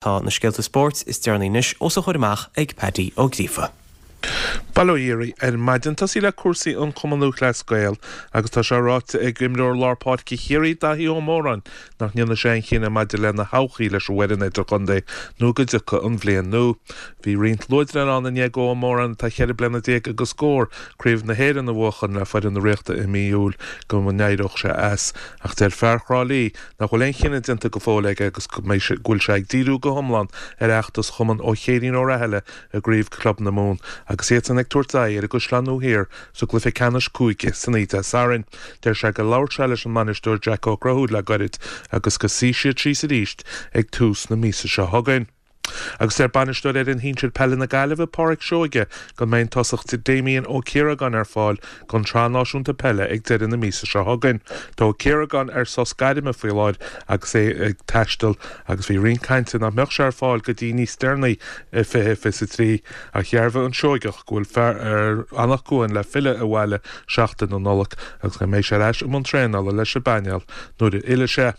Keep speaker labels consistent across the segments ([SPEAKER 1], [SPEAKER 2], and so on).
[SPEAKER 1] Tá na scéalta spóirt is deireanaí anois os a chomhair amach ag Paddy Ó Gríofa.
[SPEAKER 2] Bail ó Dhia oraibh ar maidin. Tosaí le cúrsaí an Chumann Lúthchleas Gael agus tá sé ráite ag imreoir lár páirce Chiarraí Daithí Ó Móráin nach ndéanfaidh sé aon chinneadh maidir lena thodhchaí leis an bhfoireann idirchontae nó go dtiocfaidh an bhliain nua. Bhí roinnt luaidreáin ann i ndiaidh do Ó Móráin atá cheithre bliana déag agus scór, Craobh na hÉireann a bhuachan le foireann na Ríochta i mí Iúil go n-éireodh sé as ach deir fear Thrá Lí nach bhfuil aon chinneadh déanta go fóill aige agus go bhfuil sé ag díriú go hiomlán ar fheachtas Chumann ó Chéirín Ó Rathaille i gCraobh Club na Mumhan agus iadsan ag tabhairt aghaidh ar an gCaisleán Nua Thiar sa gcluiche ceannais cúige san oíche Dé Sathairn. Deir sé gur labhair sé leis an mbainisteoir Jack Ó Conchúir le gairid agus go suífidh siad síos arís ag tús na míosa seo chugainn. Agus deir bainisteoir fhoireann shinsir peile na Gaillimhe, Pádraic Seoige, go mbeidh an tosach Damien Ó Ciaragáin ar fáil don tSraith Náisiúnta Peile ag deireadh na míosa seo chugainn. Tá Ó Ciaragáin ar sos gairme faoi láthair agus é ag taisteal agus bhí roinnt cainte nach mbeadh sé ar fáil go dtí níos deireanaí i 2023 ach dhearbhaigh an Seoigeach go bhfuil fear Anach Cuain le filleadh abhaile seachtain na Nollag agus go mbeidh sé ar ais i mbun traenála leis an bpainéal nuair a fhillfidh sé.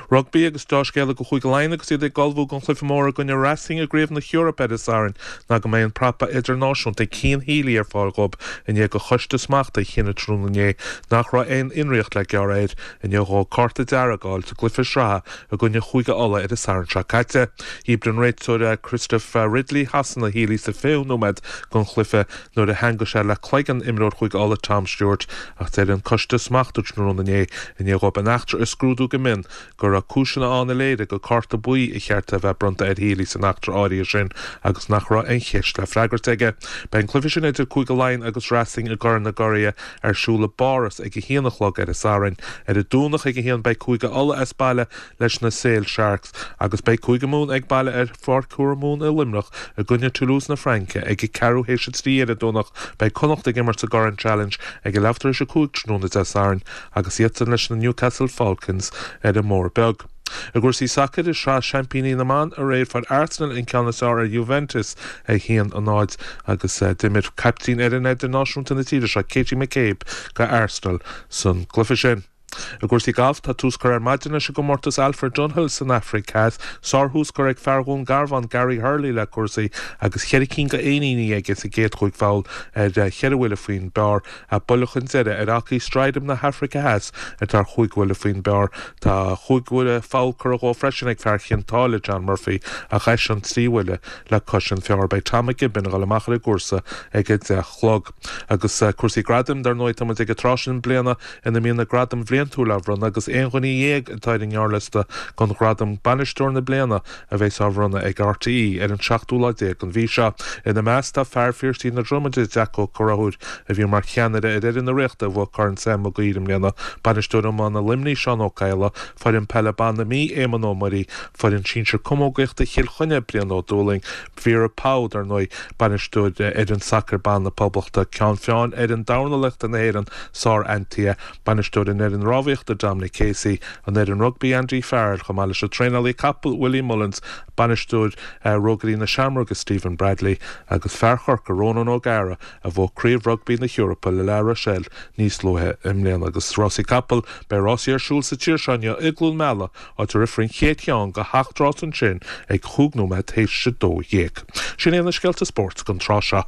[SPEAKER 2] Rugbaí agus deá-scéala do Chúige Laighean agus iad ag ullmhú don chluiche mór i gcoinne Racing i gCraobh na hEorpa ar an Satharn ná go mbeidh an prapa idirnáisiúnta Cian Healy ar fáil dhóibh i ndiaidh do choiste smachta a chinneadh tráthnóna inné nach raibh aon fhionraíocht le gearradh air i ndiaidh dhó cárta dearg a fháil sa gcluiche sraithe i gcoinne Chúige Uladh ar an Satharn seo caite. Dhíbir an réiteoir Christopher Ridley Shasana Healy sa 20ú nóiméad den chluiche nuair a theangaigh sé le cloigeann imreoir Chúige Uladh Tom Stewart ach deir an coiste smachta tráthnóna inné i ndiaidh dhóibh an eachtra a scrúdú go mion go raibh cúiseanna ann a léirigh gur cárta buí ba cheart a bheith bronnta ar Healy san eachtra áirithe sin agus nach raibh aon cheist le freagairt aige. Beidh an cluiche sin idir Cúige Laighean agus Racing i gCorn na gCuradh ar siúl i bPáras ag a haon a chlog ar an Satharn. Ar an Domhnach ag a haon beidh Cúige Uladh as baile leis na Sale Sharks agus beidh Cúige Mumhan ag baile ar Pháirc Thuamhumhan i Luimneach i gcoinne Toulouse na Fraince ag a ceathrú théis a 3 ar an Domhnach. Beidh Connacht ag imirt sa gCorn Challenge ag a leathuair tar éis a 5 tráthnóna Dé Sathairn agus iadsan leis na Newcastle Falcons ar an mBóthar Beag. I gcúrsaí sacair, i Sraith Seaimpíní na mBan aréir fuair Arsenal an ceann is fearr ar Juventus, 1-0, agus d'imir caiptín fhoireann idirnáisiúnta na tíre seo, Katie McCabe, do Arsenal san gcluiche sin. I gcúrsaí gailf, tá tús curtha ar maidin leis an gcomórtas Alfred Dunhill san Afraic Theas. Sárthús curtha ag fear Dhún Garbhán, Gary Hurley le cúrsaí agus cheithre cinn de éiníní aige sa gcéad chúig pholl ar cheithre bhuille faoin bpar. Buille chun deiridh ar Ockie Strydom na hAfraice Theas atá ar chúig bhuille faoin bpar. Tá chúig pholl curtha dhó freisin ag fear Chionn tSáile, John Murphy, ach eisean trí bhuille le cois an phar. Beidh Tom McGibbon ag dul amach ar an gcúrsa ag a 10 a chlog. Agus cúrsaí gradaim, dar ndóigh, tá muid ag an tráth sin bliana ina mbíonn na gradaim bhliantúil á bhronnadh agus aon dhuine dhéag atá ar an ngearrliosta don ghradam Bainisteoir na Bliana a bheas á bhronnadh ag RTÉ ar an seachtú lá déag den mhí seo. Ina measc tá fear Phiarsaigh na Dromaide, Jack Ó Conchúir, a bhí mar cheannaire ar fhoireann na Ríochta a bhuaigh Corn Sam Mag Uidhir i mbliana, bainisteoir iomána Luimnigh, Seán Ó Cadhla, foireann peile ban na Mí, Éamonn Ó Muirí, foireann sinsir camógaíochta Chill Chainnigh, Brian Ó Dúlaing, Vera Pauw, dar ndóigh, bainisteoir fhoireann sacair ban na Poblachta, ceann feadhain fhoireann dornálaíochta na hÉireann, Sor Antia, bainisteoir an fhoireann rámhaíochta, Dominic Casey, an fhoireann rugbaí, Andy Farrell, chomh maith leis an traenálaí capall, Willie Mullins, bainisteoir Rógairí na Seamróige, Stephen Bradley, agus fear Chorcaí, Ronan O'Gara, a bhuaigh Craobh Rugbaí na hEorpa le La Rochelle níos luaithe i mbliana. Agus rásaí capall, beidh rásaí ar siúl sa tír seo inniu i gCluain Meala, áit a rithfear an chéad cheann de sheacht rás ansin ag chúig nóiméad théis a 12. Sin iad na scéalta spóirt don tráth seo.